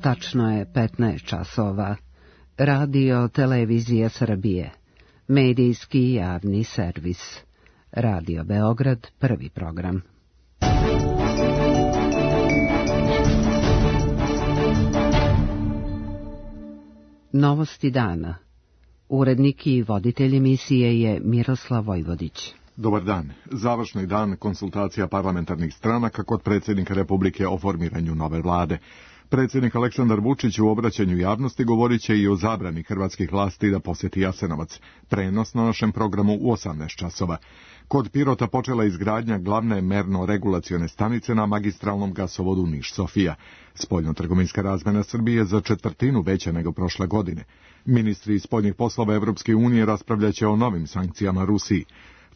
Tačno je 15 časova. Radio Televizija Srbije. Medijski javni servis. Radio Beograd, prvi program. Novosti dana. Urednik i voditelj emisije je Miroslav Vojvodić. Dobar dan. Završni dan konsultacija parlamentarnih stranaka kod predsjednika Republike o formiranju nove vlade. Predsjednik Aleksandar Vučić u obraćanju javnosti govorit će i o zabrani hrvatskih vlasti da posjeti Jasenovac. Prenos na našem programu u 18 časova. Kod Pirota počela izgradnja glavne merno-regulacione stanice na magistralnom gasovodu Niš-Sofija. Spoljno-trgovinska razmjena Srbije za četvrtinu veća nego prošle godine. Ministri spoljnih poslova Evropske unije raspravljaće o novim sankcijama Rusiji.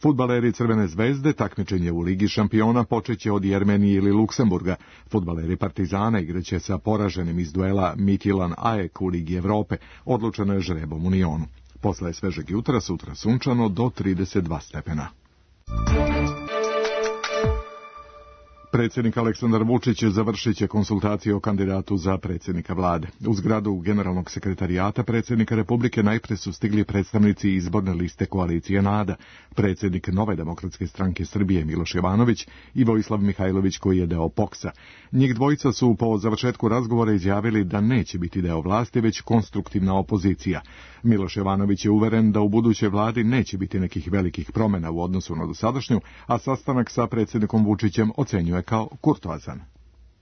Fudbaleri Crvene zvezde takmičenje u Ligi šampiona počeće od Jermenije ili Luksemburga. Fudbaleri Partizana igraće sa poraženim iz duela Midtjylland AEK u Ligi Evrope. Odlučeno je žrebom u Nionu. Posle svežeg jutra, sutra sunčano do 32 stepena. Predsjednik Aleksandar Vučić završit će konsultacije o kandidatu za predsjednika vlade. U zgradu Generalnog sekretarijata predsjednika Republike najprije su stigli predstavnici izborne liste koalicije NADA, predsjednik Nove demokratske stranke Srbije Miloš Jovanović i Vojislav Mihajlović koji je deo POKS-a. Njih dvojica su po završetku razgovora izjavili da neće biti deo vlasti, već konstruktivna opozicija. Miloš Jovanović je uveren da u budućoj vladi neće biti nekih velikih promjena u odnosu na dosadašnju, a sastanak sa predsjednikom Vučićem ocenjuje kao kurtoazan.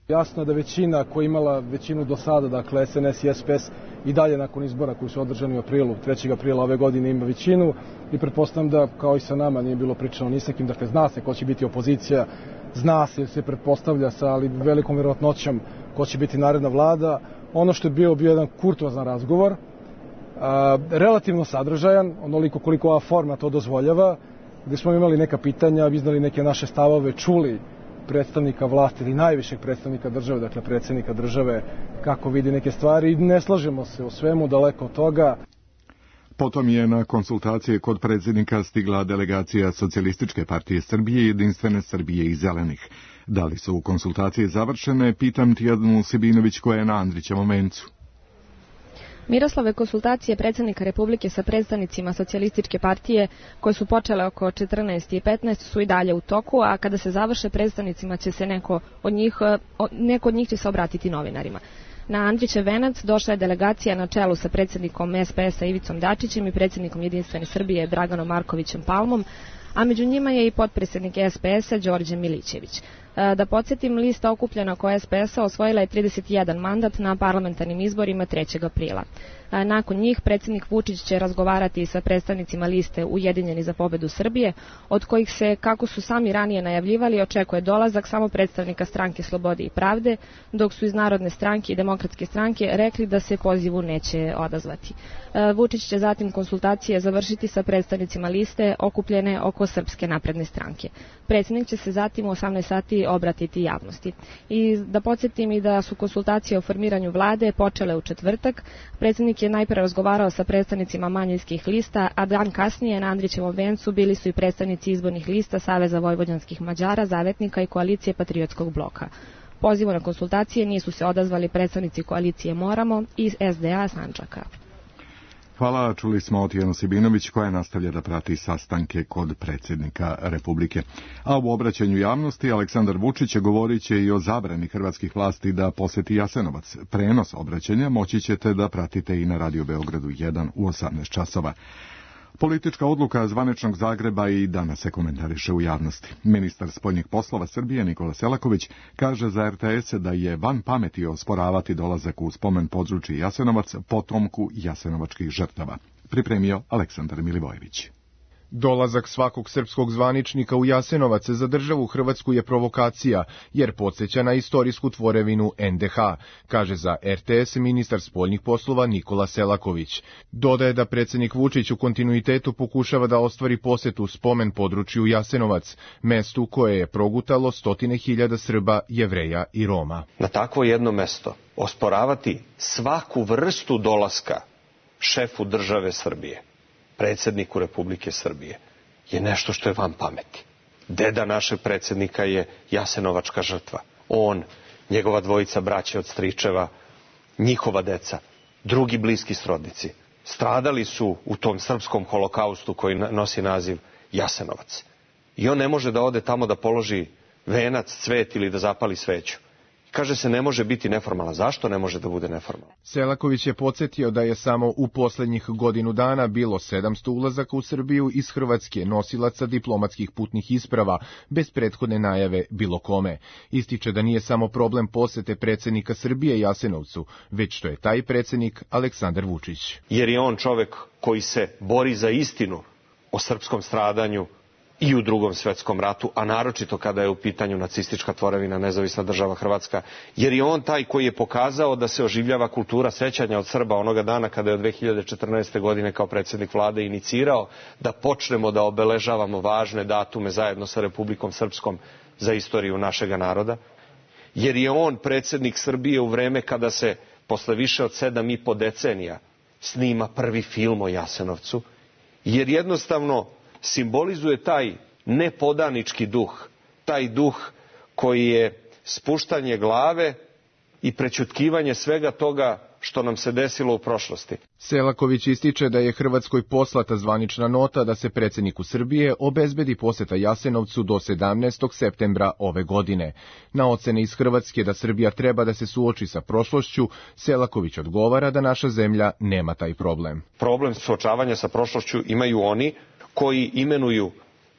Jasno je da većina koja je imala većinu do sada, dakle SNS i SPS, i dalje nakon izbora koji su održani u aprilu, 3. aprila ove godine ima većinu i pretpostavljam da kao i sa nama nije bilo pričano ni sa kim, dakle zna se ko će biti opozicija, zna se, se pretpostavlja sa ali velikom vjerojatnoćom ko će biti naredna vlada. Ono što je bio jedan kurtoazan razgovor, relativno sadržajan, onoliko koliko ova forma to dozvoljava, gdje smo imali neka pitanja, iznali neke naše stavove, čuli predstavnika vlasti ili najvišeg predstavnika države, dakle predsjednika države, kako vidi neke stvari i ne slažemo se o svemu, daleko od toga. Potom je na konsultacije kod predsjednika stigla delegacija Socijalističke partije Srbije, Jedinstvene Srbije i Zelenih. Da li su konsultacije završene, pitam Tijanu Sibinović koja je na Andrićevom vencu. Miroslave, konsultacije predsjednika Republike sa predstavnicima Socijalističke partije koje su počele oko 14 i 15 su i dalje u toku, a kada se završe predstavnicima će se neko od njih će se obratiti novinarima. Na Andrićev venac došla je delegacija na čelu sa predsjednikom SPS-a Ivicom Dačićem i predsjednikom Jedinstvene Srbije Draganom Markovićem Palmom, a među njima je i potpredsjednik SPS-a Đorđe Milićević. Da podsjetim, lista okupljena oko SPS-a osvojila je 31 mandat na parlamentarnim izborima 3. aprila. Nakon njih predsjednik Vučić će razgovarati sa predstavnicima liste Ujedinjeni za pobedu Srbije, od kojih se, kako su sami ranije najavljivali, očekuje dolazak samo predstavnika stranke Slobode i pravde, dok su iz Narodne stranke i Demokratske stranke rekli da se pozivu neće odazvati. Vučić će zatim konsultacije završiti sa predstavnicima liste okupljene oko Srpske napredne stranke. Predsjednik će se zatim u 18 sati obratiti javnosti. I da podsjetim i da su konsultacije o formiranju vlade počele u četvrtak. Predsjednik je najprije razgovarao sa predstavnicima manjinskih lista, a dan kasnije na Andrićevom vencu bili su i predstavnici izbornih lista Saveza vojvođanskih Mađara, Zavetnika i Koalicije Patriotskog bloka. Pozivu na konsultacije nisu se odazvali predstavnici koalicije Moramo i SDA Sandžaka. Hvala, čuli smo Tijanu Sibinović koja nastavlja da prati sastanke kod predsjednika Republike. A u obraćanju javnosti Aleksandar Vučić govorit će i o zabrani hrvatskih vlasti da posjeti Jasenovac. Prenos obraćanja moći ćete da pratite i na Radio Beogradu 1 u 18 časova. Politička odluka zvaničnog Zagreba i danas se komentariše u javnosti. Ministar spoljnih poslova Srbije Nikola Selaković kaže za RTS da je van pameti osporavati dolazak u spomen područje Jasenovac potomku jasenovačkih žrtava. Pripremio Aleksandar Milivojević. Dolazak svakog srpskog zvaničnika u Jasenovac za državu Hrvatsku je provokacija, jer podsjeća na istorijsku tvorevinu NDH, kaže za RTS ministar spoljnih poslova Nikola Selaković. Dodaje da predsjednik Vučić u kontinuitetu pokušava da ostvari posjetu spomen području Jasenovac, mestu koje je progutalo 100.000 Srba, Jevreja i Roma. Na takvo jedno mesto osporavati svaku vrstu dolaska šefu države Srbije, predsjedniku Republike Srbije, je nešto što je van pameti. Deda našeg predsjednika je jasenovačka žrtva. On, njegova dvojica braće od stričeva njihova deca, drugi bliski srodnici, stradali su u tom srpskom holokaustu koji nosi naziv Jasenovac. I on ne može da ode tamo da položi venac, cvet ili da zapali sveću. Kaže se ne može biti neformalan. Zašto ne može da bude neformalan? Selaković je podsjetio da je samo u poslednjih godinu dana bilo 700 ulazaka u Srbiju iz Hrvatske nosilaca diplomatskih putnih isprava, bez prethodne najave bilo kome. Ističe da nije samo problem posete predsednika Srbije Jasenovcu, već što je taj predsednik Aleksandar Vučić. Jer je on čovek koji se bori za istinu o srpskom stradanju i u Drugom svetskom ratu, a naročito kada je u pitanju nacistička tvorevina nezavisna država Hrvatska, jer je on taj koji je pokazao da se oživljava kultura sećanja od Srba onoga dana kada je od 2014. godine kao predsjednik vlade inicirao da počnemo da obeležavamo važne datume zajedno sa Republikom Srpskom za istoriju našega naroda, jer je on predsjednik Srbije u vreme kada se posle više od 7,5 decenija snima prvi film o Jasenovcu, jer jednostavno simbolizuje taj nepodanički duh, taj duh koji je spuštanje glave i prećutkivanje svega toga što nam se desilo u prošlosti. Selaković ističe da je Hrvatskoj poslata zvanična nota da se predsjedniku Srbije obezbedi poseta Jasenovcu do 17. septembra ove godine. Na ocene iz Hrvatske da Srbija treba da se suoči sa prošlošću, Selaković odgovara da naša zemlja nema taj problem. Problem suočavanja sa prošlošću imaju oni koji imenuju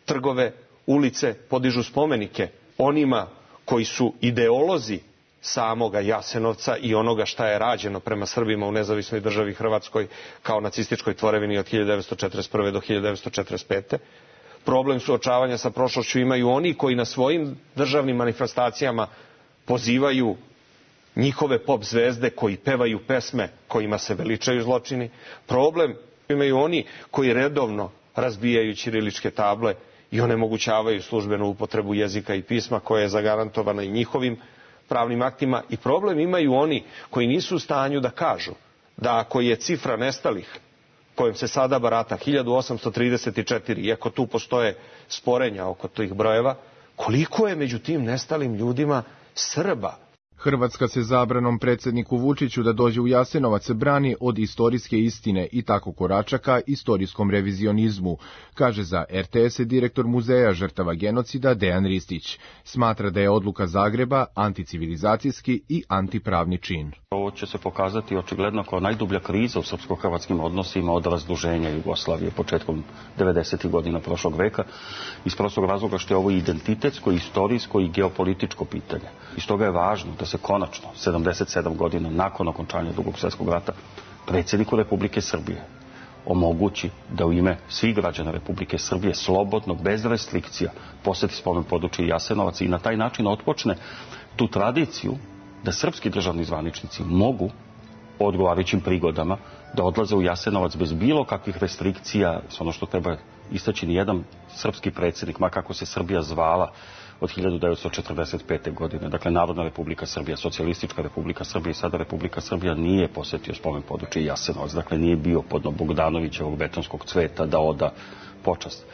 trgove, ulice, podižu spomenike onima koji su ideolozi samoga Jasenovca i onoga šta je rađeno prema Srbima u nezavisnoj državi Hrvatskoj kao nacističkoj tvorevini od 1941. do 1945. Problem suočavanja sa prošlošću imaju oni koji na svojim državnim manifestacijama pozivaju njihove pop zvezde koji pevaju pesme kojima se veličaju zločini. Problem imaju oni koji redovno razbijaju ćiriličke table i onemogućavaju službenu upotrebu jezika i pisma koja je zagarantovana i njihovim pravnim aktima. I problem imaju oni koji nisu u stanju da kažu da ako je cifra nestalih kojom se sada barata 1834, iako tu postoje sporenja oko tih brojeva, koliko je među tim nestalim ljudima Srba? Hrvatska se zabranom predsjedniku Vučiću da dođe u Jasenovac brani od istorijske istine i tako korača ka istorijskom revizionizmu, kaže za RTS direktor Muzeja žrtava genocida Dejan Ristić. Smatra da je odluka Zagreba anticivilizacijski i antipravni čin. Ovo će se pokazati očigledno kao najdublja kriza u srpsko-hrvatskim odnosima od razduženja Jugoslavije početkom 90. godina prošlog veka, iz prostog razloga što je ovo identitetsko, istorijsko i geopolitičko pitanje. I stoga je važno da se konačno, 77 godina nakon okončanja Drugog svjetskog rata, predsjedniku Republike Srbije omogući da u ime svih građana Republike Srbije slobodno, bez restrikcija, posjeti spomen područje Jasenovac i na taj način otpočne tu tradiciju da srpski državni zvaničnici mogu po odgovarajućim prigodama da odlaze u Jasenovac bez bilo kakvih restrikcija. Ono što treba istaći, nijedan srpski predsjednik, ma kako se Srbija zvala, od 1945. godine. Dakle, Narodna Republika Srbija, Socijalistička Republika Srbija i sada Republika Srbija nije posjetio spomen područje Jasenovac. Dakle, nije bio pod Bogdanovićevog betonskog cveta da oda počast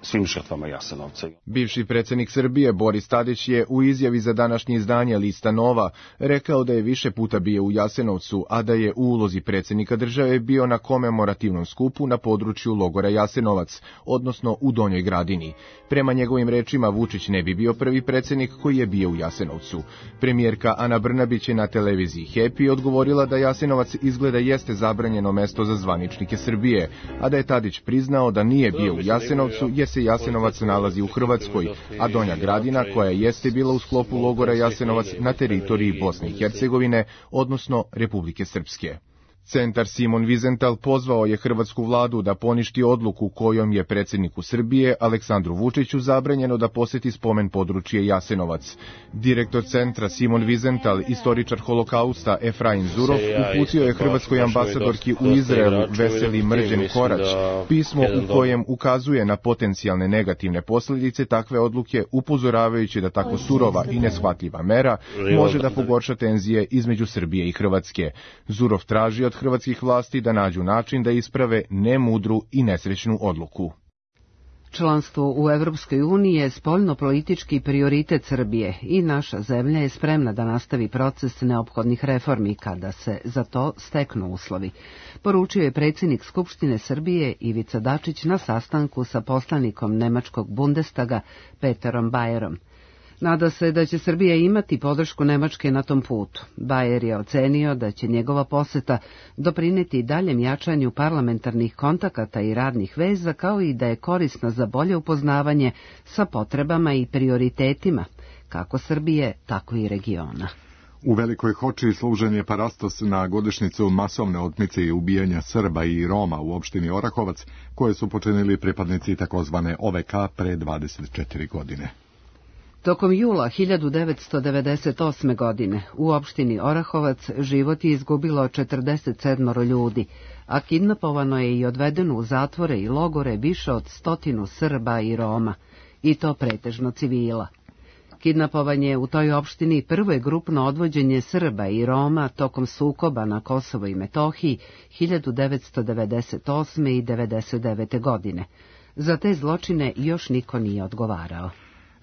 svim žrtvama Jasenovca. Bivši predsjednik Srbije Boris Tadić je u izjavi za današnje izdanje Lista Nova rekao da je više puta bio u Jasenovcu, a da je u ulozi predsjednika države bio na komemorativnom skupu na području logora Jasenovac, odnosno u Donjoj Gradini. Prema njegovim rečima, Vučić ne bi bio prvi predsjednik koji je bio u Jasenovcu. Premijerka Ana Brnabić je na televiziji Happy odgovorila da Jasenovac izgleda jeste zabranjeno mesto za zvaničnike Srbije, a da je Tadić priznao da nije bio u Jasenovcu jer se Jasenovac nalazi u Hrvatskoj, a Donja Gradina, koja jeste bila u sklopu logora Jasenovac, na teritoriji Bosne i Hercegovine, odnosno Republike Srpske. Centar Simon Wiesenthal pozvao je hrvatsku vladu da poništi odluku kojom je predsjedniku Srbije Aleksandru Vučiću zabranjeno da posjeti spomen područje Jasenovac. Direktor centra Simon Wiesenthal, istoričar holokausta Efraim Zurov, uputio je hrvatskoj ambasadorki u Izraelu Veseli Mrđen Korać pismo u kojem ukazuje na potencijalne negativne posljedice takve odluke, upozoravajući da tako surova i neshvatljiva mera može da pogorša tenzije između Srbije i Hrvatske. Zurov traži od hrvatskih vlasti da nađu način da isprave nemudru i nesrećnu odluku. Članstvo u Evropskoj uniji je spoljno-politički prioritet Srbije i naša zemlja je spremna da nastavi proces neophodnih reformi kada se za to steknu uslovi, poručio je predsjednik Skupštine Srbije Ivica Dačić na sastanku sa poslanikom nemačkog Bundestaga Peterom Bayerom. Nada se da će Srbija imati podršku Nemačke na tom putu. Bayer je ocenio da će njegova poseta doprineti daljem jačanju parlamentarnih kontakata i radnih veza, kao i da je korisna za bolje upoznavanje sa potrebama i prioritetima, kako Srbije, tako i regiona. U Velikoj Hoči služen je parastos na godišnjicu masovne otmice i ubijanja Srba i Roma u opštini Orahovac, koje su počinili pripadnici takozvane OVK pre 24 godine. Tokom jula 1998. godine u opštini Orahovac život je izgubilo 47 ljudi, a kidnapovano je i odvedeno u zatvore i logore više od 100 Srba i Roma, i to pretežno civila. Kidnapovanje u toj opštini prvo je grupno odvođenje Srba i Roma tokom sukoba na Kosovo i Metohiji 1998. i 1999. godine. Za te zločine još niko nije odgovarao.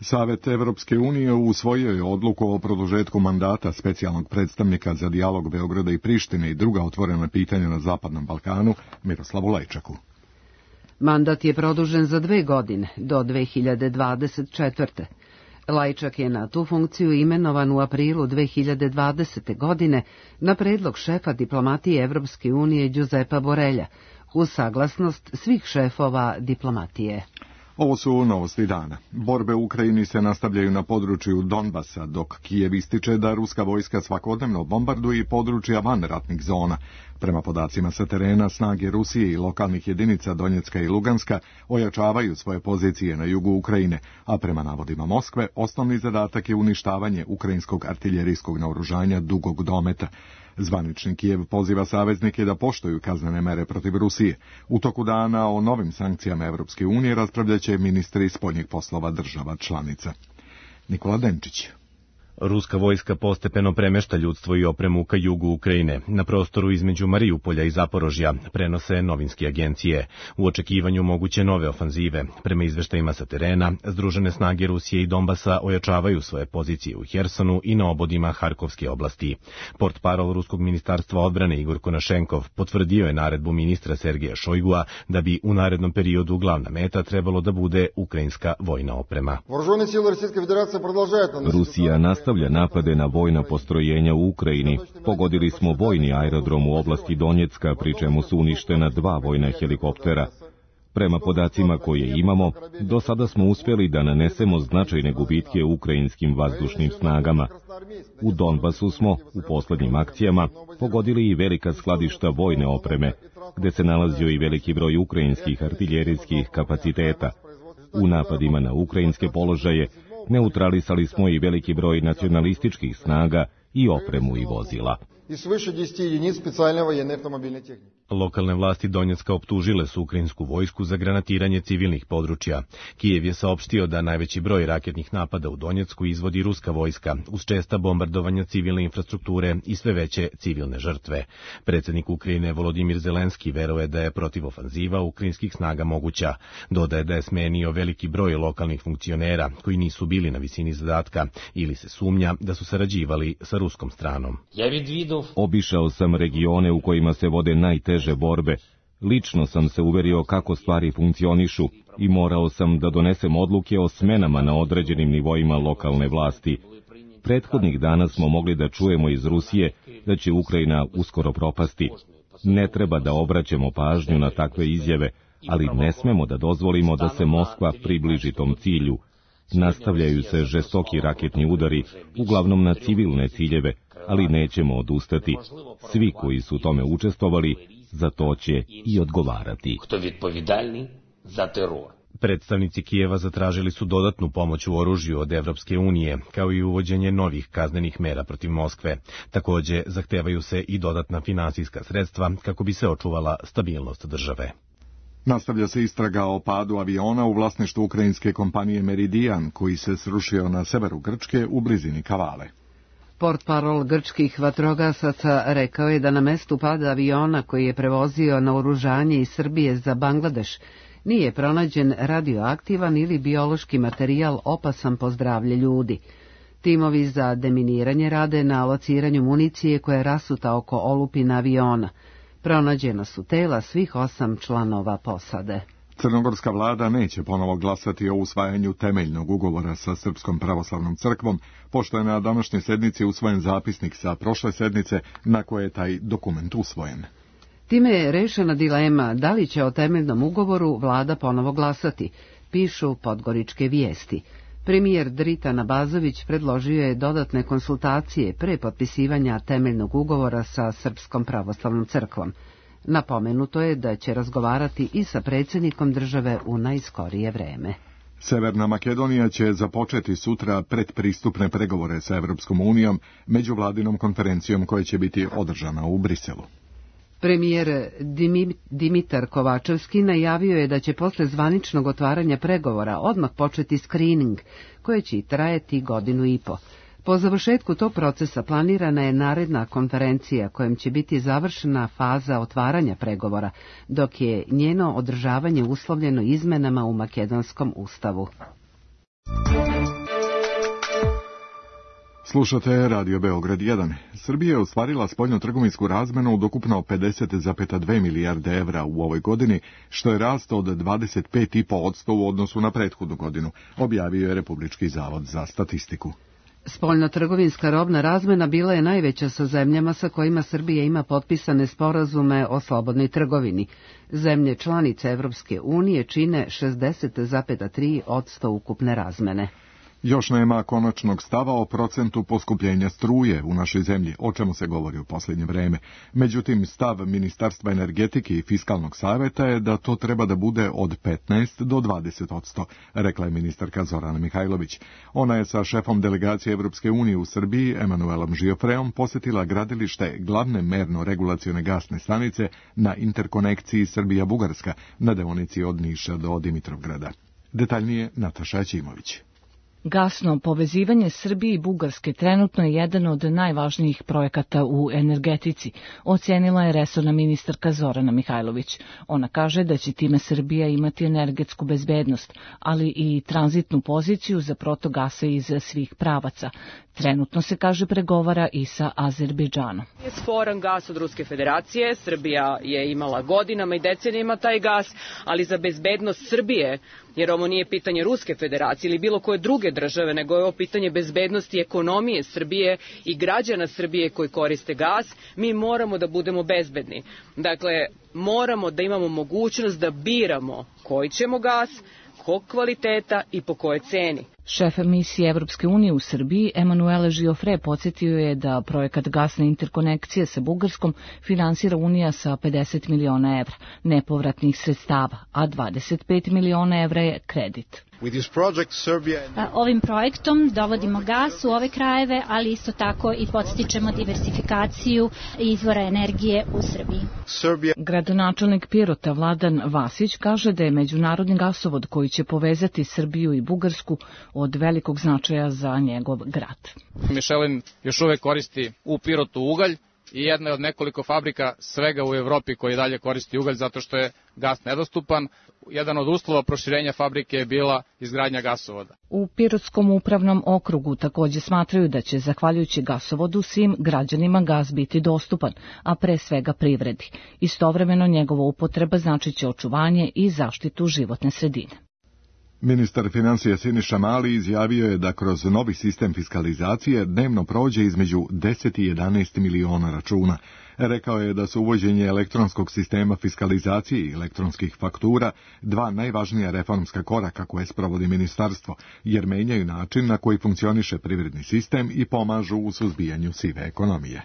Savet Evropske unije usvojio je odluku o produžetku mandata specijalnog predstavnika za dijalog Beograda i Prištine i druga otvorena pitanja na Zapadnom Balkanu, Miroslavu Lajčaku. Mandat je produžen za 2 godine, do 2024. Lajčak je na tu funkciju imenovan u aprilu 2020. godine na predlog šefa diplomatije Evropske unije Giuseppa Borrella, uz saglasnost svih šefova diplomatije. Ovo su novosti dana. Borbe u Ukrajini se nastavljaju na području Donbasa, dok Kijev ističe da ruska vojska svakodnevno bombarduje područja van ratnih zona. Prema podacima sa terena, snage Rusije i lokalnih jedinica Donjecka i Luganska ojačavaju svoje pozicije na jugu Ukrajine, a prema navodima Moskve, osnovni zadatak je uništavanje ukrajinskog artiljerijskog naoružanja dugog dometa. Zvanični Kijev poziva saveznike da poštuju kaznene mere protiv Rusije. U toku dana o novim sankcijama Evropske unije raspravljaće ministri spoljnih poslova država članica. Nikola Denčić. Ruska vojska postepeno premešta ljudstvo i opremu ka jugu Ukrajine. Na prostoru između Marijupolja i Zaporožja prenose novinske agencije. U očekivanju moguće nove ofanzive. Prema izveštajima sa terena, združene snage Rusije i Donbasa ojačavaju svoje pozicije u Hersonu i na obodima Harkovske oblasti. Portparol Ruskog ministarstva odbrane Igor Konašenkov potvrdio je naredbu ministra Sergeja Šojgua da bi u narednom periodu glavna meta trebalo da bude ukrajinska vojna oprema. Rusija nastavlja napade na vojna postrojenja u Ukrajini. Pogodili smo vojni aerodrom u oblasti Donjecka, pri čemu su uništena 2 vojna helikoptera. Prema podacima koje imamo, do sada smo uspjeli da nanesemo značajne gubitke ukrajinskim vazdušnim snagama. U Donbasu smo, u poslednjim akcijama, pogodili i velika skladišta vojne opreme, gde se nalazio i veliki broj ukrajinskih artiljerijskih kapaciteta. U napadima na ukrajinske položaje neutralisali smo i veliki broj nacionalističkih snaga i opremu i vozila. Lokalne vlasti Donjecka optužile su ukrajinsku vojsku za granatiranje civilnih područja. Kijev je saopštio da najveći broj raketnih napada u Donjecku izvodi ruska vojska, uz česta bombardovanja civilne infrastrukture i sve veće civilne žrtve. Predsjednik Ukrajine Volodimir Zelenski veruje da je protivofanziva ukrajinskih snaga moguća. Dodaje da je smenio veliki broj lokalnih funkcionera koji nisu bili na visini zadatka ili se sumnja da su sarađivali sa ruskom stranom. Obišao sam regione u kojima se vode najteže borbe. Lično sam se uverio kako stvari funkcionišu i morao sam da donesem odluke o smenama na određenim nivoima lokalne vlasti. Prethodnih dana smo mogli da čujemo iz Rusije da će Ukrajina uskoro propasti. Ne treba da obraćamo pažnju na takve izjave, ali ne smemo da dozvolimo da se Moskva približi tom cilju. Nastavljaju se žestoki raketni udari, uglavnom na civilne ciljeve, ali nećemo odustati. Svi koji su tome učestvovali, za to će i odgovarati. Predstavnici Kijeva zatražili su dodatnu pomoć u oružju od Evropske unije, kao i uvođenje novih kaznenih mera protiv Moskve. Takođe, zahtevaju se i dodatna finansijska sredstva kako bi se očuvala stabilnost države. Nastavlja se istraga o padu aviona u vlasništvu ukrajinske kompanije Meridian, koji se srušio na severu Grčke u blizini Kavale. Portparol grčkih vatrogasaca rekao je da na mestu pada aviona koji je prevozio naoružanje iz Srbije za Bangladeš Nije pronađen radioaktivan ili biološki materijal opasan po zdravlje ljudi. Timovi za deminiranje rade na lociranju municije koja je rasuta oko olupina aviona. Pronađena su tela svih 8 članova posade. Crnogorska vlada neće ponovo glasati o usvajanju temeljnog ugovora sa Srpskom pravoslavnom crkvom, pošto je na današnjoj sednici usvojen zapisnik sa prošle sednice na koje je taj dokument usvojen. Time je rešena dilema da li će o temeljnom ugovoru vlada ponovo glasati, pišu Podgoričke vijesti. Premijer Dritan Abazović predložio je dodatne konsultacije pre potpisivanja temeljnog ugovora sa Srpskom pravoslavnom crkvom. Napomenuto je da će razgovarati i sa predsjednikom države u najskorije vreme. Severna Makedonija će započeti sutra predpristupne pregovore sa Evropskom unijom međuvladinom konferencijom koja će biti održana u Briselu. Premijer Dimitar Kovačevski najavio je da će posle zvaničnog otvaranja pregovora odmah početi skrining, koje će trajati 1,5 godine. Po završetku tog procesa planirana je naredna konferencija kojom će biti završena faza otvaranja pregovora, dok je njeno održavanje uslovljeno izmenama u makedonskom ustavu. Slušate Radio Beograd 1. Srbija je ostvarila spoljnotrgovinsku razmenu od ukupno 50,2 milijarde evra u ovoj godini, što je rast od 25,5% u odnosu na prethodnu godinu, objavio je Republički zavod za statistiku. Spoljnotrgovinska robna razmena bila je najveća sa zemljama sa kojima Srbija ima potpisane sporazume o slobodnoj trgovini. Zemlje članice Evropske unije čine 60,3% ukupne razmene. Još nema konačnog stava o procentu poskupljenja struje u našoj zemlji, o čemu se govori u posljednje vreme. Međutim, stav Ministarstva energetike i Fiskalnog saveta je da to treba da bude od 15 do 20%, rekla je ministarka Zorana Mihajlović. Ona je sa šefom delegacije Evropske unije u Srbiji, Emanuelom Žiofreom, posjetila gradilište glavne merno-regulacione gasne stanice na interkonekciji Srbija-Bugarska na deonici od Niša do Dimitrovgrada. Detaljnije Nataša Ćimović. Gasno povezivanje Srbije i Bugarske trenutno je jedan od najvažnijih projekata u energetici, ocenila je resorna ministarka Zorana Mihajlović. Ona kaže da će time Srbija imati energetsku bezbednost, ali i tranzitnu poziciju za protok gasa iz svih pravaca. Trenutno se, kaže, pregovara i sa Azerbejdžanom. Je sporan gas od Ruske federacije, Srbija je imala godinama i decenijama taj gas, ali za bezbednost Srbije, jer ovo nije pitanje Ruske federacije ili bilo koje druge države, nego je ovo pitanje bezbednosti ekonomije Srbije i građana Srbije koji koriste gas, mi moramo da budemo bezbedni. Dakle, moramo da imamo mogućnost da biramo koji ćemo gas, kog kvaliteta i po kojoj ceni. Šef misije Evropske unije u Srbiji, Emanuele Žiofre, podsjetio je da projekat gasne interkonekcije sa Bugarskom finansira Unija sa 50 miliona evra nepovratnih sredstava, a 25 miliona evra je kredit. Ovim projektom dovodimo gas u ove krajeve, ali isto tako i podstičemo diversifikaciju izvora energije u Srbiji. Gradonačelnik Pirota Vladan Vasić kaže da je međunarodni gasovod koji će povezati Srbiju i Bugarsku od velikog značaja za njegov grad. Michelin još uvek koristi u Pirotu ugalj i jedna je od nekoliko fabrika svega u Evropi koji dalje koristi ugalj zato što je gas nedostupan. Jedan od uslova proširenja fabrike je bila izgradnja gasovoda. U Pirotskom upravnom okrugu također smatraju da će, zahvaljujući gasovodu, svim građanima gas biti dostupan, a pre svega privredi. Istovremeno njegova upotreba značiće očuvanje i zaštitu životne sredine. Ministar financija Siniša Mali izjavio je da kroz novi sistem fiskalizacije dnevno prođe između 10 i 11 miliona računa. Rekao je da su uvođenje elektronskog sistema fiskalizacije i elektronskih faktura dva najvažnija reformska koraka koje sprovodi ministarstvo, jer menjaju način na koji funkcioniše privredni sistem i pomažu u suzbijanju sive ekonomije.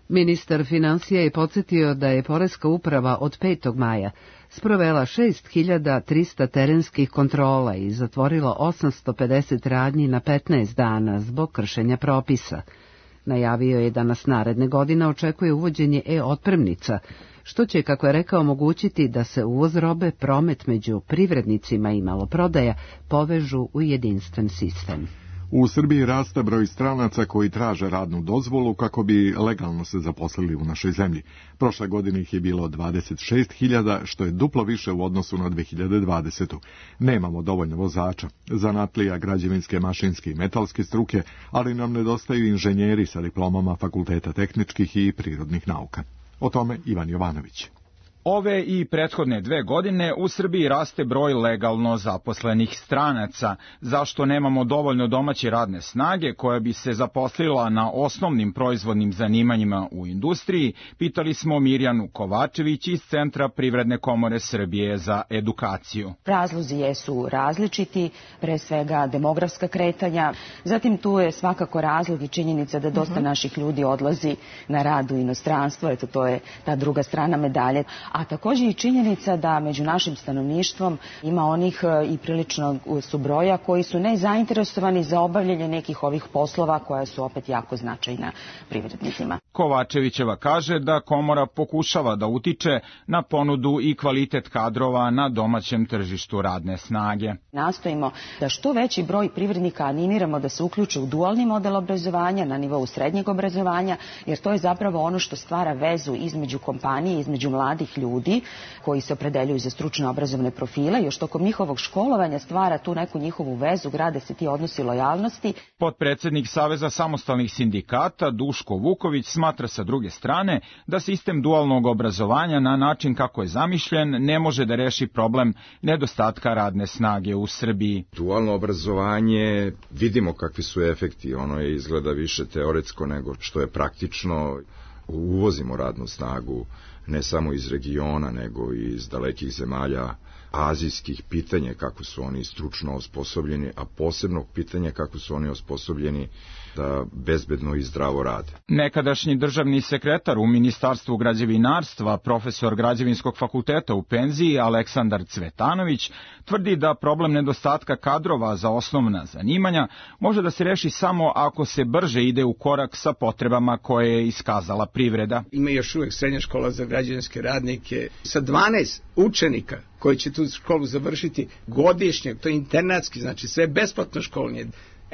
Ministar financija je podsjetio da je Poreska uprava od 5. maja sprovela 6.300 terenskih kontrola i zatvorila 850 radnji na 15 dana zbog kršenja propisa. Najavio je da nas naredne godine očekuje uvođenje e-otpremnica, što će, kako je rekao, omogućiti da se uvoz robe, promet među privrednicima i maloprodaja povežu u jedinstven sistem. U Srbiji raste broj stranaca koji traže radnu dozvolu kako bi legalno se zaposlili u našoj zemlji. Prošle godine ih je bilo 26.000, što je duplo više u odnosu na 2020. Nemamo dovoljno vozača, zanatlija, građevinske, mašinske i metalske struke, ali nam nedostaju inženjeri sa diplomama fakulteta tehničkih i prirodnih nauka. O tome Ivan Jovanović. Ove i prethodne 2 godine u Srbiji raste broj legalno zaposlenih stranaca. Zašto nemamo dovoljno domaće radne snage koja bi se zaposlila na osnovnim proizvodnim zanimanjima u industriji, pitali smo Mirjanu Kovačević iz Centra Privredne komore Srbije za edukaciju. Razlozi jesu različiti, pre svega demografska kretanja, zatim tu je svakako razlog i činjenica da dosta naših ljudi odlazi na rad u inostranstvo, eto to je ta druga strana medalje. A također i činjenica da među našim stanovništvom ima onih i prilično su broja koji su nezainteresovani za obavljanje nekih ovih poslova koja su opet jako značajna privrednicima. Kovačevićeva kaže da komora pokušava da utiče na ponudu i kvalitet kadrova na domaćem tržištu radne snage. Nastojimo da što veći broj privrednika animiramo da se uključe u dualni model obrazovanja na nivou srednjeg obrazovanja, jer to je zapravo ono što stvara vezu između kompanije, između mladih ljudi koji se opredeljuju za stručno obrazovne profile, još tokom njihovog školovanja stvara tu neku njihovu vezu, grade se ti odnosi lojalnosti. Potpredsednik Saveza samostalnih sindikata Duško Vuković smatra sa druge strane da sistem dualnog obrazovanja na način kako je zamišljen ne može da reši problem nedostatka radne snage u Srbiji. Dualno obrazovanje, vidimo kakvi su efekti, ono je izgleda više teoretsko nego što je praktično. Uvozimo radnu snagu ne samo iz regiona, nego i iz dalekih zemalja azijskih. Pitanje kako su oni stručno osposobljeni, a posebno pitanje kako su oni osposobljeni da bezbedno i zdravo rade. Nekadašnji državni sekretar u Ministarstvu građevinarstva, profesor Građevinskog fakulteta u penziji Aleksandar Cvetanović, tvrdi da problem nedostatka kadrova za osnovna zanimanja može da se reši samo ako se brže ide u korak sa potrebama koje je iskazala privreda. Ima još uvijek srednja škola za građevinske radnike sa 12 učenika koji će tu školu završiti godišnje, to je internatski, znači sve besplatno školanje.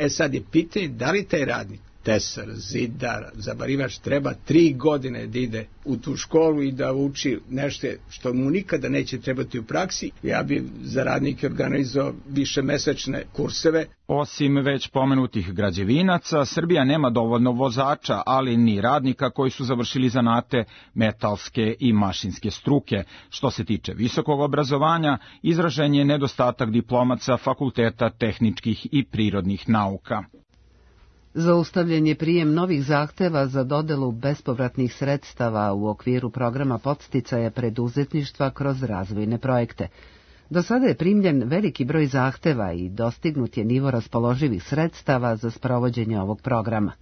Sad je pitanje da li taj radnik, tesar, zidar, zabarivač treba 3 godine da ide u tu školu i da uči nešto što mu nikada neće trebati u praksi. Ja bi za radnike organizovao višemesečne kurseve. Osim već pomenutih građevinaca, Srbija nema dovoljno vozača, ali ni radnika koji su završili zanate metalske i mašinske struke. Što se tiče visokog obrazovanja, izražen je nedostatak diplomaca fakulteta tehničkih i prirodnih nauka. Zaustavljen je prijem novih zahteva za dodelu bespovratnih sredstava u okviru programa podsticaja preduzetništva kroz razvojne projekte. Do sada je primljen veliki broj zahteva i dostignut je nivo raspoloživih sredstava za sprovođenje ovog programa.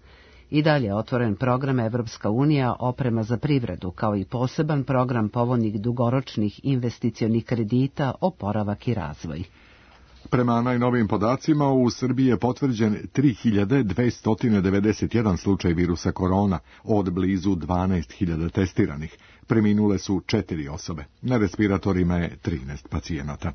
I dalje je otvoren program Evropska unija oprema za privredu, kao i poseban program povoljnih dugoročnih investicionih kredita, oporavak i razvoj. Prema najnovijim podacima, u Srbiji je potvrđen 3291 slučaj virusa korona, od blizu 12.000 testiranih. Preminule su 4 osobe. Na respiratorima je 13 pacijenata.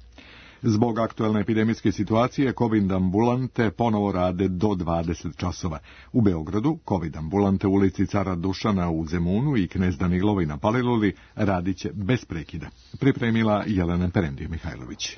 Zbog aktuelne epidemijske situacije, COVID ambulante ponovo rade do 20 časova. U Beogradu, COVID ambulante u ulici Cara Dušana u Zemunu i Knez Danilovi na Paliluli radit će bez prekida. Pripremila Jelena Perendije-Mihajlović.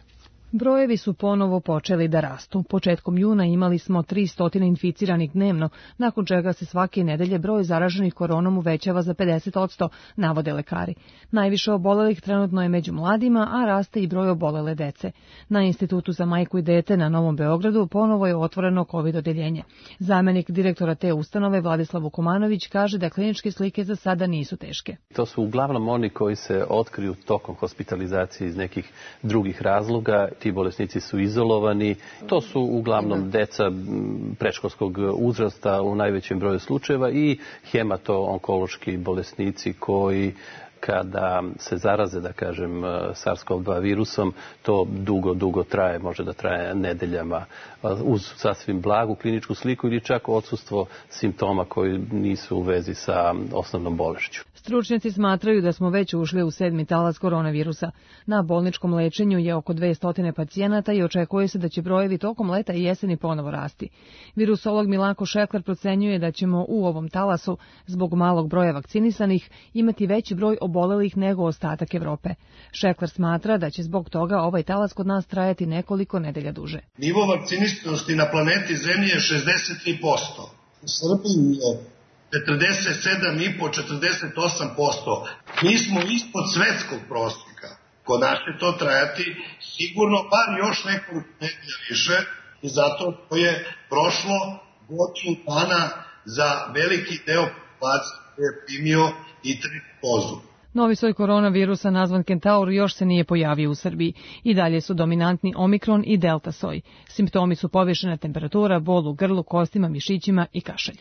Brojevi su ponovo počeli da rastu. Početkom juna imali smo 300 inficiranih dnevno, nakon čega se svake nedelje broj zaraženih koronom uvećava za 50%, navode lekari. Najviše obolelih trenutno je među mladima, a raste i broj obolele dece. Na Institutu za majku i dete na Novom Beogradu ponovo je otvoreno COVID odeljenje. Zamenik direktora te ustanove Vladislav Vukomanović kaže da kliničke slike za sada nisu teške. To su uglavnom oni koji se otkriju tokom hospitalizacije iz nekih drugih razloga. Ti bolesnici su izolovani. To su uglavnom deca predškolskog uzrasta u najvećem broju slučajeva i hemato-onkološki bolesnici koji kada se zaraze, da kažem, SARS-CoV-2 virusom, to dugo traje, može da traje nedeljama uz sasvim blagu kliničku sliku ili čak odsustvo simptoma koji nisu u vezi sa osnovnom bolešću. Stručnjaci smatraju da smo već ušli u 7. talas koronavirusa. Na bolničkom lečenju je oko 200 pacijenata i očekuje se da će brojevi tokom leta i jeseni ponovo rasti. Virusolog Milanko Šekler procenjuje da ćemo u ovom talasu, zbog malog broja vakcinisanih, imati veći broj obolelih nego ostatak Evrope. Šekler smatra da će zbog toga ovaj talas kod nas trajati nekoliko nedelja duže. Nivo vakcinisanosti na planeti Zemlji je 63%. U Srbiji je 47,5-48%. Mi smo ispod svetskog prosjeka. Kod nas će to trajati sigurno bar još nekoliko nedelja više i zato to je prošlo godinu dana za veliki deo populacije koji je primio i treću dozu. Novi soj koronavirusa nazvan Kentaur još se nije pojavio u Srbiji. I dalje su dominantni Omikron i Delta soj. Simptomi su povišena temperatura, bol u grlu, kostima, mišićima i kašalj.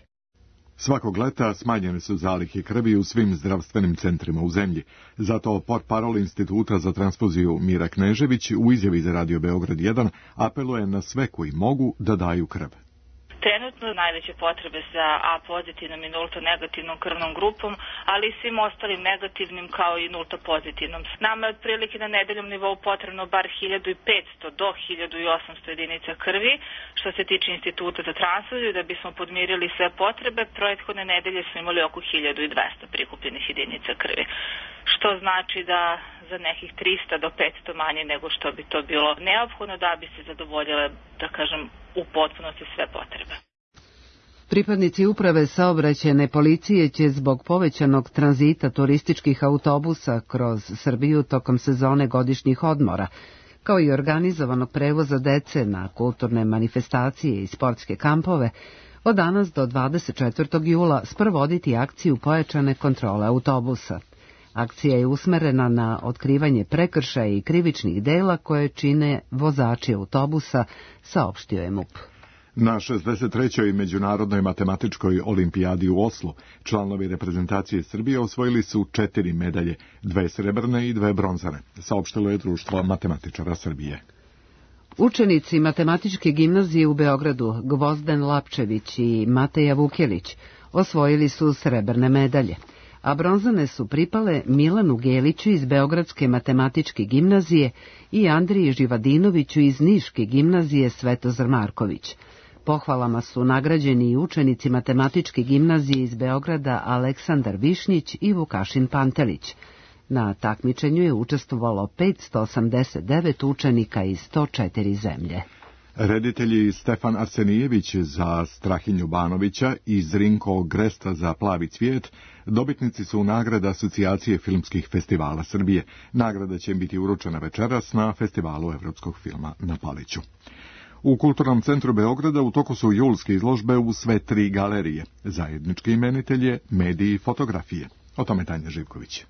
Svakog leta smanjene su zalihe krvi u svim zdravstvenim centrima u zemlji. Zato portparol Instituta za transfuziju Mira Knežević u izjavi za Radio Beograd 1 apeluje na sve koji mogu da daju krv. Trenutno najveće potrebe za A pozitivnom i nulto negativnom krvnom grupom, ali i svim ostalim negativnim kao i nulto pozitivnom. Nama je otprilike na nedeljnom nivou potrebno bar 1500 do 1800 jedinica krvi. Što se tiče Instituta za transfuziju, da bismo podmirili sve potrebe, prethodne nedelje smo imali oko 1200 prikupljenih jedinica krvi. Što znači da za nekih 300 do 500 manje nego što bi to bilo neophodno da bi se zadovoljile, da kažem, u potpunosti sve potrebe. Pripadnici uprave saobraćajne policije će zbog povećanog tranzita turističkih autobusa kroz Srbiju tokom sezone godišnjih odmora, kao i organizovanog prevoza dece na kulturne manifestacije i sportske kampove, od danas do 24. jula sprovoditi akciju pojačane kontrole autobusa. Akcija je usmerena na otkrivanje prekršaja i krivičnih dela koje čine vozači autobusa, saopštio je MUP. Na 63. Međunarodnoj matematičkoj olimpijadi u Oslu članovi reprezentacije Srbije osvojili su 4 medalje, 2 srebrne i 2 bronzane, saopštilo je Društvo matematičara Srbije. Učenici matematičke gimnazije u Beogradu Gvozden Lapčević i Mateja Vukelić osvojili su srebrne medalje, a bronzane su pripale Milanu Geliću iz Beogradske matematičke gimnazije i Andriji Živadinoviću iz Niške gimnazije Svetozar Marković. Pohvalama su nagrađeni i učenici matematičke gimnazije iz Beograda Aleksandar Višnjić i Vukašin Pantelić. Na takmičenju je učestvovalo 589 učenika iz 104 zemlje. Reditelji Stefan Arsenijević za Strahinju Banovića i Zrinko Gresta za Plavi cvijet dobitnici su nagrada Asocijacije filmskih festivala Srbije. Nagrada će im biti uručena večeras na Festivalu evropskog filma na Paliću. U Kulturnom centru Beograda u toku su julske izložbe u sve 3 galerije. Zajednički imenitelj je mediji i fotografije. O tome Tanja Živković.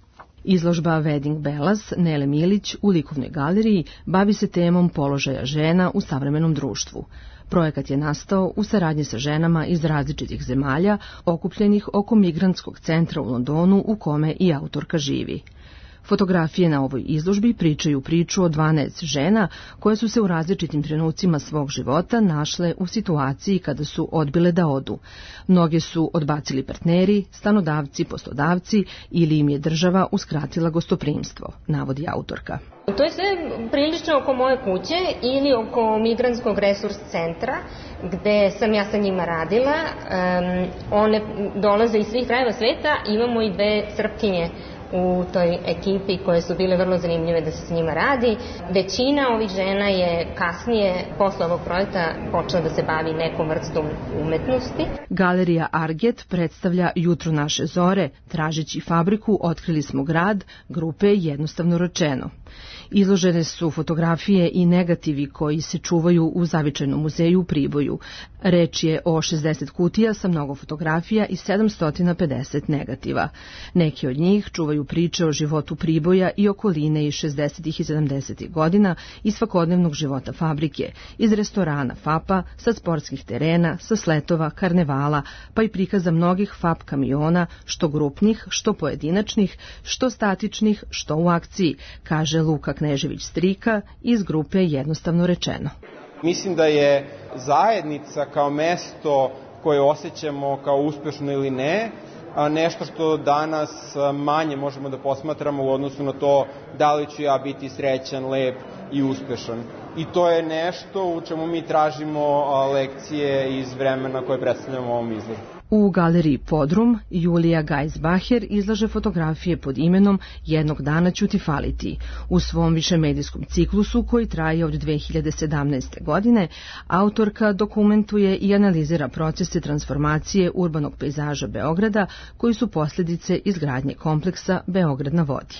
Izložba Wedding Bellas Nele Milić u likovnoj galeriji bavi se temom položaja žena u savremenom društvu. Projekat je nastao u saradnji sa ženama iz različitih zemalja okupljenih oko migrantskog centra u Londonu u kome i autorka živi. Fotografije na ovoj izložbi pričaju priču o 12 žena koje su se u različitim trenucima svog života našle u situaciji kada su odbile da odu. Mnoge su odbacili partneri, stanodavci, poslodavci ili im je država uskratila gostoprimstvo, navodi autorka. To je sve prilično oko moje kuće ili oko migrantskog resurs centra gde sam ja sa njima radila. One dolaze iz svih krajeva sveta, imamo i 2 Srpkinje u toj ekipi koje su bile vrlo zanimljive da se s njima radi. Većina ovih žena je kasnije, posle ovog projekta, počela da se bavi nekom vrstom umetnosti. Galerija Arget predstavlja Jutro naše zore, tražeći fabriku otkrili smo grad, grupe jednostavno rečeno. Izložene su fotografije i negativi koji se čuvaju u Zavičajnom muzeju u Priboju. Reč je o 60 kutija sa mnogo fotografija i 750 negativa. Neki od njih čuvaju čuju priče o životu Priboja i okoline iz 60. i 70. godina i svakodnevnog života fabrike, iz restorana FAP-a, sa sportskih terena, sa sletova, karnevala, pa i prikaza mnogih FAP kamiona, što grupnih, što pojedinačnih, što statičnih, što u akciji, kaže Luka Knežević-Strika iz grupe Jednostavno rečeno. Mislim da je zajednica kao mesto koje osjećamo kao uspešno ili ne, nešto što danas manje možemo da posmatramo u odnosu na to da li ću ja biti srećan, lep i uspešan. I to je nešto u čemu mi tražimo lekcije iz vremena koje predstavljamo u ovom izložbu. U galeriji Podrum Julija Geisbacher izlaže fotografije pod imenom Jednog dana ću ti faliti. U svom višemedijskom ciklusu koji traje od 2017. godine, autorka dokumentuje i analizira procese transformacije urbanog pejzaža Beograda koji su posljedice izgradnje kompleksa Beograd na vodi.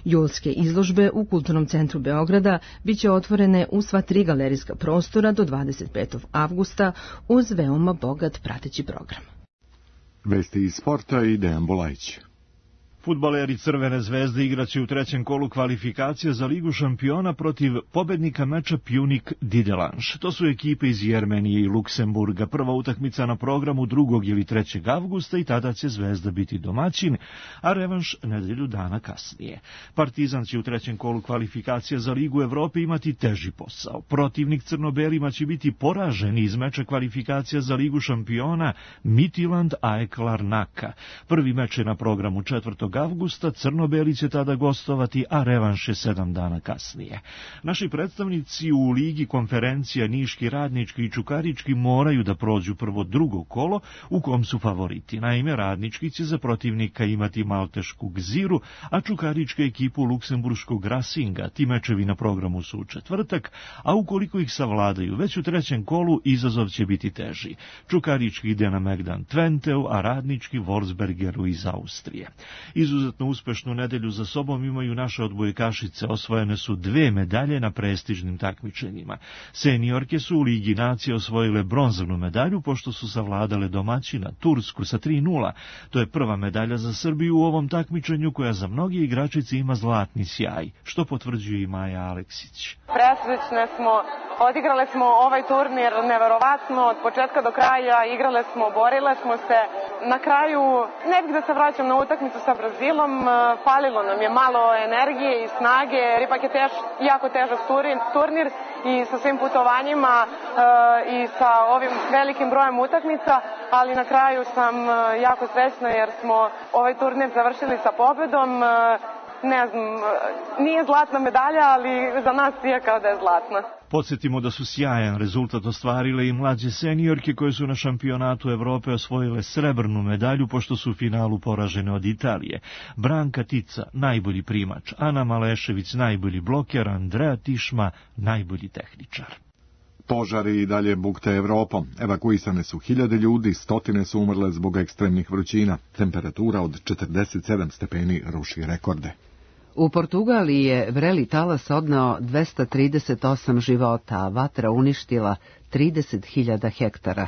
Julske izložbe u Kulturnom centru Beograda biće otvorene u sva 3 galerijska prostora do 25. avgusta uz veoma bogat prateći program. Vesti iz sporta i Dejan Bolajić. Fudbaleri Crvene zvezde igraće u trećem kolu kvalifikacija za Ligu šampiona protiv pobednika meča Pjunik-Didelanš. To su ekipe iz Jermenije i Luksemburga. Prva utakmica na programu 2. ili 3. avgusta i tada će Zvezda biti domaćin, a revanš nedelju dana kasnije. Partizan će u trećem kolu kvalifikacija za Ligu Evrope imati teži posao. Protivnik crnobelima će biti poražen iz meča kvalifikacija za Ligu šampiona Midtjylland AEK Larnaka. Prvi meč je na programu 4. avgusta, crnobeli će tada gostovati, a revanš je 7 dana kasnije. Naši predstavnici u Ligi konferencija Niški, Radnički i Čukarički moraju da prođu prvo 2. kolo u kom su favoriti. Naime, Radnički će za protivnika imati maltešku Gziru, a Čukarička ekipu luksemburškog Racinga. Ti mečevi na programu su u četvrtak, a ukoliko ih savladaju već u trećem kolu, izazov će biti teži. Čukarički ide na Megdan Twenteu, a Radnički Wolfsbergeru iz Austrije. Izuzetno uspešnu nedelju za sobom imaju naše odbojkašice, osvojene su 2 medalje na prestižnim takmičenjima. Seniorke su u Ligi nacija osvojile bronzanu medalju pošto su savladale domaćina Tursku sa 3:0. To je prva medalja za Srbiju u ovom takmičenju koja za mnoge igračice ima zlatni sjaj, što potvrđuje i Maja Aleksić. Presrećne smo, odigrale smo ovaj turnir neverovatno, od početka do kraja, igrale smo, borile smo se. Na kraju, ne bih da se vraćam na utakmicu sa Brazilom, falilo nam je malo energije i snage, jer ipak je jako težak turnir i sa svim putovanjima i sa ovim velikim brojem utakmica, ali na kraju sam jako srećna jer smo ovaj turnir završili sa pobedom. Ne znam, nije zlatna medalja, ali za nas je kao da je zlatna. Podsjetimo da su sjajan rezultat ostvarile i mlađe seniorke koje su na šampionatu Evrope osvojile srebrnu medalju pošto su u finalu poražene od Italije. Branka Tica, najbolji primač, Ana Malešević, najbolji bloker, Andrea Tišma, najbolji tehničar. Požari i dalje bukte Evropom. Evakuisane su 1000 ljudi, stotine su umrle zbog ekstremnih vrućina. Temperatura od 47 stepeni ruši rekorde. U Portugaliji je vreli talas odneo 238 života, a vatra uništila 30.000 hektara.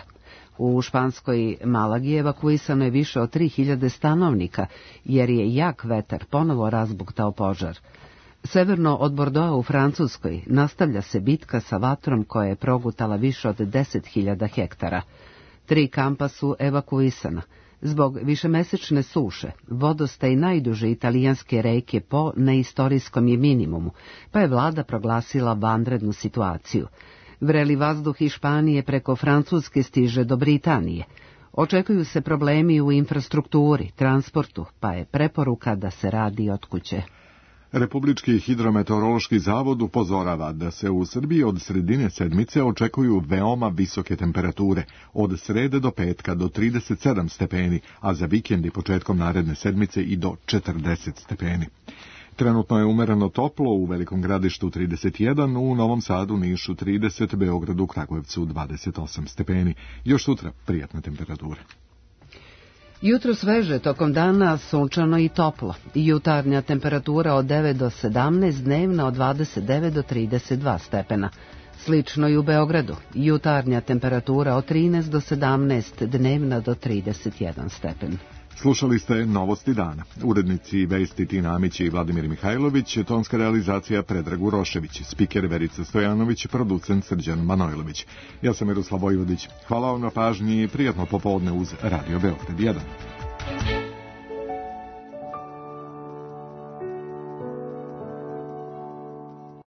U španskoj Malagi evakuisano je više od 3.000 stanovnika, jer je jak vetar ponovo razbuktao požar. Severno od Bordeauxa u Francuskoj nastavlja se bitka sa vatrom koja je progutala više od 10.000 hektara. 3 kampa su evakuisana. Zbog višemesečne suše, vodostaj najduže italijanske reke Po na istorijskom je minimumu, pa je vlada proglasila vanrednu situaciju. Vreli vazduh iz Španije preko Francuske stiže do Britanije. Očekuju se problemi u infrastrukturi, transportu, pa je preporuka da se radi od kuće. Republički hidrometeorološki zavod upozorava da se u Srbiji od sredine sedmice očekuju veoma visoke temperature, od srede do petka do 37 stepeni, a za vikend i početkom naredne sedmice i do 40 stepeni. Trenutno je umereno toplo, u Velikom Gradištu 31, u Novom Sadu, Nišu 30, Beogradu, Kragujevcu 28 stepeni. Još sutra prijatne temperature. Jutro sveže, tokom dana sunčano i toplo. Jutarnja temperatura od 9 do 17, dnevna od 29 do 32 stepena. Slično i u Beogradu. Jutarnja temperatura od 13 do 17, dnevna do 31 stepen. Slušali ste Novosti dana. Urednici Vesti Tina Amić i Vladimir Mihajlović, tonska realizacija Predrag Urošević, spiker Verica Stojanović, producent Srđan Manojlović. Ja sam Miroslav Vojvodić. Hvala vam na pažnji i prijatno popodne uz Radio Beograd 1.